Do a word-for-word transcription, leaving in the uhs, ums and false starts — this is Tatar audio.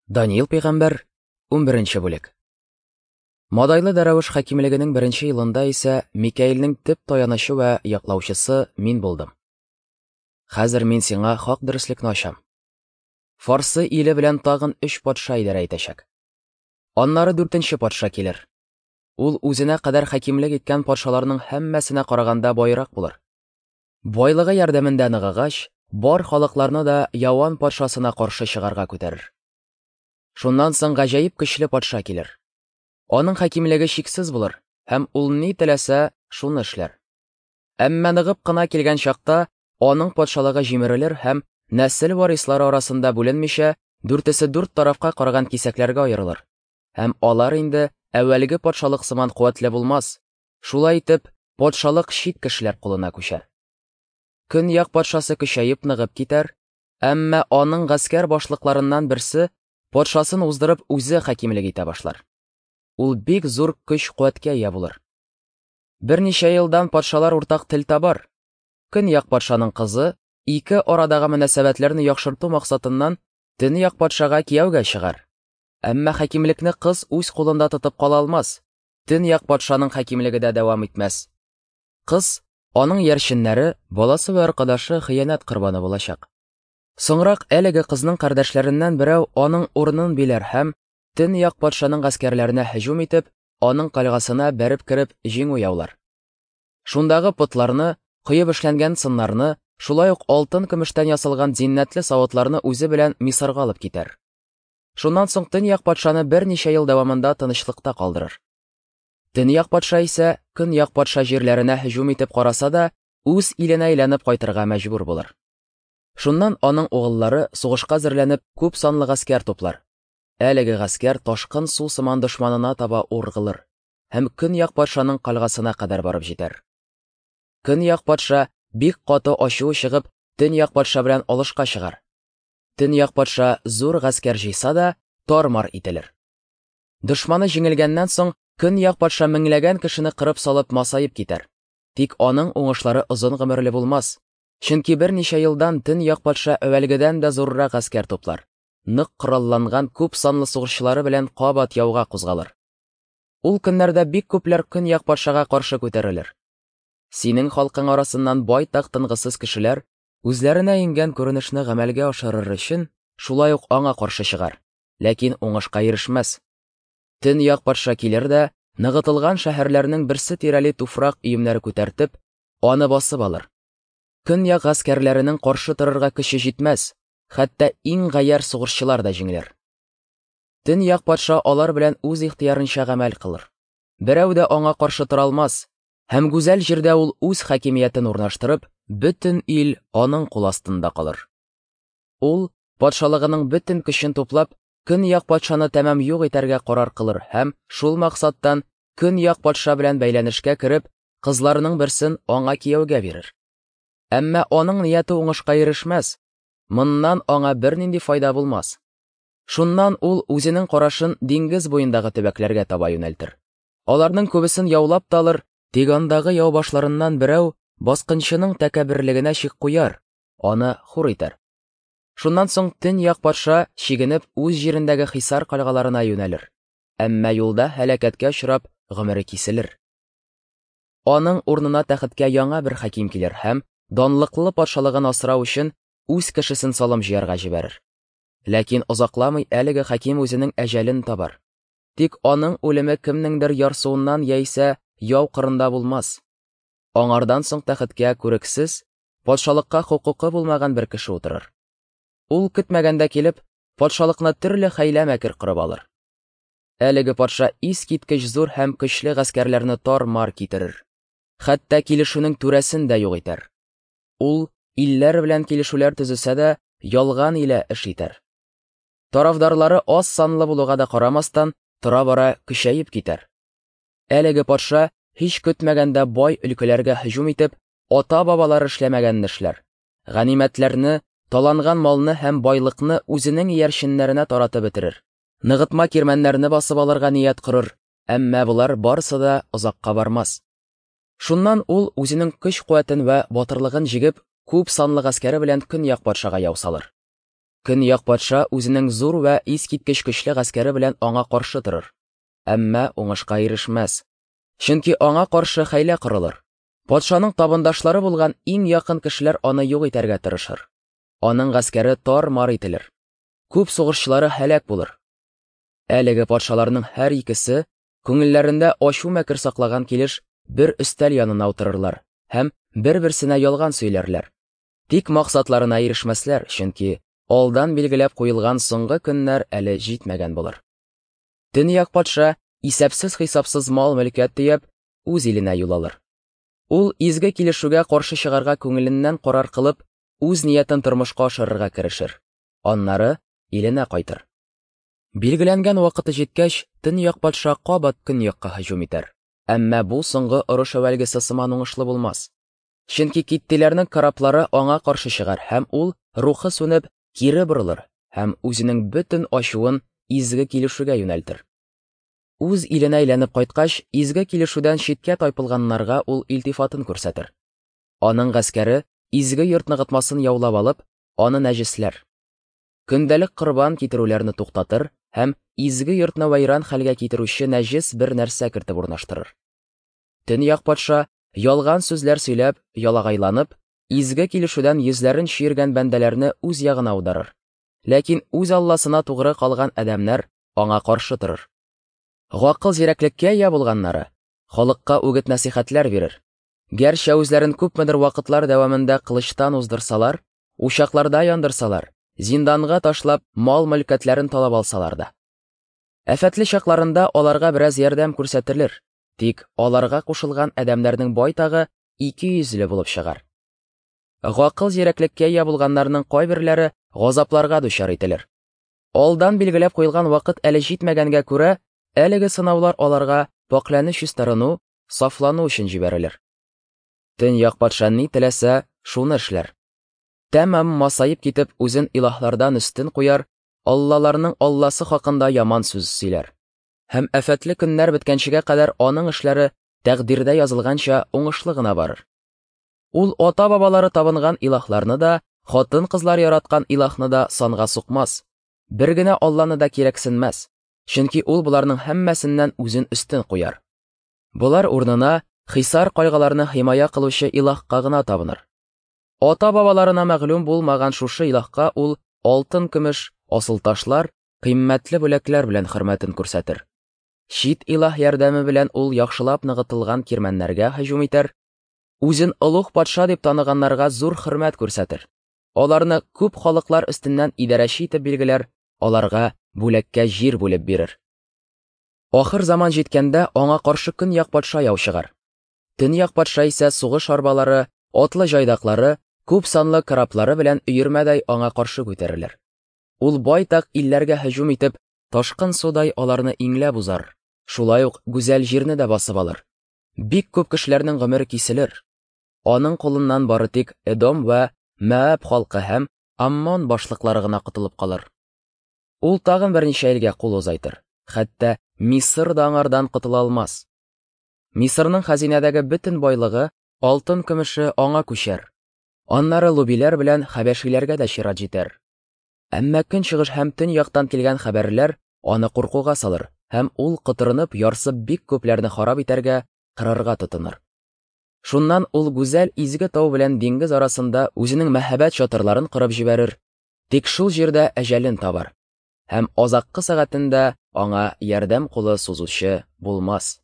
Даниил пәйгамбәр, унберенче бүлек. Мадайлы Дәрәвеш хакимлегенең беренче елында исә Микаилнең төп таянычы вә яклаучысы мин булдым. Хәзер мин сиңа хак дөреслекне ачам. Фарсы иле белән тагын өч патша идарә итәчәк. Аннары дүртенче патша килер. Ул үзенә кадәр хакимлек иткән патшаларның һәммәсенә караганда байрак булыр. Байлыгы ярдәмендә ныгыгач, бар халыкларны да Яван патшасына каршы чыгарга күтәрер. Шуннан соң гаҗәеп көчле патша килер. Аның хакимлеге чиксез булыр һәм ул ни теләсә, шуны эшләр. Әмма ныгып кына килгән чакта аның патшалыгы җимерелер һәм нәсел варислары арасында бүленмичә, дүртесе дүрт тарафка караган кисәкләргә аерылыр. Һәм алар инде әүвәлге патшалык сыман куәтле булмас. Шулай итеп, патшалык чит кешеләр кулына күчәр. Көньяк патшасы көчәеп ныгып китәр, әмма аның гаскәр башлыкларыннан берсе патшасын уздырып үзе хакимлек итә башлар. Ул бик зур көч-куәткә ия булыр. Берничә елдан патшалар уртак тел табар. Көньяк патшаның кызы ике арадагы мөнәсәбәтләрне яхшырту максатыннан төньяк патшага кияүгә чыгар. Әмма хакимлекне кыз үз кулында тотып кала алмас. Төньяк патшаның хакимлеге дә дәвам итмәс. Кыз, аның ярченнәре, баласы вә аркадашы хыянәт корбаны булачак. Соңрак әлеге кызның кардәшләреннән берәү аның урынын биләр һәм төньяк патшаның гаскәрләренә һөҗүм итеп, аның кальгасына бәреп кереп җиңү яулар. Шундагы потларны, коеп эшләнгән сыннарны, шулай ук алтын көмештән ясалган зиннәтле савытларны үзе белән Мисырга алып китәр. Шуннан соң төньяк патшаны берничә ел дәвамында тынычлыкта калдырыр. Төньяк патша исә көньяк патша җирләренә һөҗүм итеп караса да, үз иленә әйләнеп кайтырга мәҗбүр булыр. Шуннан аның угыллары сугышка әзерләнеп күп санлы гаскәр туплар. Әлеге гаскәр ташкын су сыман дошманына таба ургылыр һәм көньяк патшаның кальгасына кадәр барып җитәр. Көньяк патша бик каты ачуы чыгып, төньяк патша белән алышка чыгар. Төньяк патша зур гаскәр җыйса да, тар-мар ителер. Дошманы җиңелгәннән соң көньяк патша меңләгән кешене кырып салып масаеп китәр. Тик аның уңышлары озын гомерле булмас. Чөнки берничә елдан төньяк патша әүвәлгедән дә зуррак гаскәр туплар. Нык коралланган күп санлы сугышчылары белән кабат яуга кузгалыр. Ул көннәрдә бик күпләр көньяк патшага каршы күтәрелер. Синең халкың арасыннан байтак тынгысыз кешеләр үзләренә иңгән күренешне гамәлгә ашырыр өчен шулай ук аңа каршы чыгар, ләкин уңышка ирешмәс. Төньяк патша килер дә, ныгытылган шәһәрләрнең берсе тирәли туфрак өемнәре күтәртеп, аны басып алыр. Көньяк гаскәрләренең каршы торырга көче җитмәс, хәтта иң гаярь сугышчылар да җиңелер. Төньяк патша алар белән үз ихтыярынча гамәл кылыр. Берәү дә аңа каршы тора алмас, һәм гүзәл җирдә ул үз хакимиятен урнаштырып, бөтен ил аның кул астында калыр. Ул патшалыгының бөтен көчен туплап, көньяк патшаны тәмам юк итәргә карар кылыр һәм шул максаттан көньяк патша белән бәйләнешкә кереп, кызларының берсен аңа кияүгә бирер. Әмма аның нияте уңышка ирешмәс, моннан аңа бернинди файда булмас. Шуннан ул үзенең карашын диңгез буендагы төбәкләргә таба юнәлтер. Аларның күбесен яулап та алыр, тик андагы яу башларыннан берәү баскынчының тәкәбберлегенә чик куяр, аны хур итәр. Шуннан соң төньяк патша чигенеп үз җирендәге хисар кальгаларына юнәлер. Әмма юлда һәлакәткә очрап гомере киселер. Аның урынына тәхеткә яңа бер хаким килер һәм данлыклы патшалыгын асрау өчен үз кешесен салым җыярга җибәрер. Ләкин озакламый әлеге хаким үзенең әҗәлен табар. Тик аның үлеме кемнеңдер ярсуыннан яисә яу кырында булмас. Аңардан соң тәхеткә күрексез, патшалыкка хокукы булмаган бер кеше утырыр. Ул көтмәгәндә килеп, патшалыкны төрле хәйлә-мәкер корып алыр. Әлеге патша искиткеч зур һәм көчле гаскәрләрне тар-мар китерер. Хәтта килешүнең түрәсен дә юк итәр. Ул илләр белән килешүләр төзесә дә, ялган илә эш итәр. Тарафдарлары аз санлы булуга да карамастан, тора-бара көчәеп китәр. Әлеге патша һич көтмәгәндә бай өлкәләргә һөҗүм итеп, ата-бабалары эшләмәгәнне эшләр. Ганимәтләрне, таланган малны һәм байлыкны үзенең иярченнәренә таратып бетерер. Ныгытма кирмәннәрне басып алырга ният корыр, әмма болар барысы да озакка бармас. Шуннан ул үзенең көч-куәтен вә батырлыгын җигеп, күп санлы гаскәре белән көньяк патшага яу салыр. Көньяк патша үзенең зур вә искиткеч көчле гаскәре белән аңа каршы торыр, әмма уңышка ирешмәс, чөнки аңа каршы хәйлә корылыр. Патшаның табындашлары булган иң якын кешеләр аны юк итәргә тырышыр. Аның гаскәре тар-мар ителер. Күп сугышчылары һәлак булыр. Әлеге патшаларның һәр икесе күңелләрендә ачу-мәкер саклаган килеш бер өстәл янына утырырлар һәм бер-берсенә ялган сөйләрләр. Тик максатларына ирешмәсләр, чөнки алдан билгеләп куелган соңгы көннәр әле җитмәгән булыр. Төньяк патша исәпсез-хисапсыз мал-мөлкәт төяп үз иленә юл алыр. Ул изге килешүгә каршы чыгарга күңеленнән карар кылып, үз ниятен тормышка ашырырга керешер. Аннары иленә кайтыр. Билгеләнгән вакыты җиткәч, төньяк патша кабат көньякка һөҗүм итәр. Әмма бу соңгы орыш әүвәлгесе сыман уңышлы булмас. Чөнки киттиләрнең кораблары аңа каршы чыгар һәм ул рухы сүнеп кире борылыр һәм үзенең бөтен ачуын изге килешүгә юнәлтер. Үз иленә әйләнеп кайткач, изге килешүдән читкә тайпылганнарга ул илтифатын күрсәтер. Аның гаскәре изге йорт ныгытмасын яулап алып, аны нәҗесләр. Көндәлек корбан китерүләрне туктатыр һәм изге йортны вәйран хәлгә китерүче нәҗес бер нәрсә кертеп урнаштырыр. Төньяк патша ялган сүзләр сөйләп, ялагайланып, изге килешүдән йөзләрен чөергән бәндәләрне үз ягына аударыр. Ләкин үз Алласына тугры калган адәмнәр аңа каршы торыр. Гакыл зирәклеккә ия булганнары халыкка үгет-нәсихәтләр бирер. Гәрчә үзләрен күпмедер вакытлар дәвамында кылычтан уздырсалар, учакларда яндырсалар, зинданга ташлап мал-мөлкәтләрен талап алсалар да. Афәтле чакларында аларга бераз ярдәм күрсәтелер, тик аларга кушылган адәмнәрнең байтагы ике йөзле булып чыгар. Гакыл зирәклеккә ия булганнарның кайберләре газапларга дучар ителер. Алдан билгеләп куелган вакыт әле җитмәгәнгә күрә, әлеге сынаулар аларга пакьләнү, чистарыну, сафлану өчен җибәрелер. Төньяк патша ни теләсә, шуны эшләр. Тәмам масаеп китеп, үзен илаһлардан өстен куяр, аллаларның алласы хакында яман сүз сөйләр. Һәм афәтле көннәр беткәнчегә кадәр аның эшләре тәкъдирдә язылганча уңышлы гына барыр. Ул ата-бабалары табынган илаһларны да, хатын-кызлар яраткан илаһны да санга сукмас, бер генә алланы да кирәксенмәс, чөнки ул боларның һәммәсеннән үзен өстен куяр. Болар урынына хисар кайгыларны химая кылучы илаһка гына табыныр. Ата-бабаларына мәгълүм булмаган шушы илаһка ул алтын, көмеш, асыл ташлар, кыйммәтле бүләкләр белән хөрмәтен күрсәтер. Чит илаһ ярдәме белән ул яхшылап ныгытылган кирмәннәргә һөҗүм итәр, үзен олуг патша дип таныганнарга зур хөрмәт күрсәтер. Аларны күп халыклар өстеннән идарәче итеп билгеләр, аларга бүләккә җир бүлеп бирер. Ахыр заман җиткәндә аңа каршы көньяк патша яу чыгар. Төньяк патша исә сугыш арбалары, атлы җайдаклары, күп санлы кораблары белән өермәдәй аңа каршы күтәрелер. Ул байтак илләргә һөҗүм итеп, ташкын судай аларны иңләп узар. Шулай ук гүзәл җирне дә басып алыр. Бик күп кешеләрнең гомере киселер. Аның кулыннан бары тик Эдом вә Мәаб халкы һәм Аммон башлыклары гына котылып калыр. Ул тагын берничә илгә кул озайтыр. Хәтта Мисыр да аңардан котыла алмас. Мисырның хәзинәдәге бөтен байлыгы, алтын көмеше аңа күчәр. Аннары лубиләр белән хәбәшиләргә дә чират җитәр. Әмма көнчыгыш һәм төньяктан килгән хәбәрләр аны куркуга салыр һәм ул котырынып, ярсып бик күпләрне харап итәргә, кырырга тотыныр. Шуннан ул гүзәл изге тау белән диңгез арасында үзенең мәһабәт чатырларын корып җибәрер, тик шул җирдә әҗәлен табар. Һәм азаккы сәгатендә аңа ярдәм кулы сузучы булмас.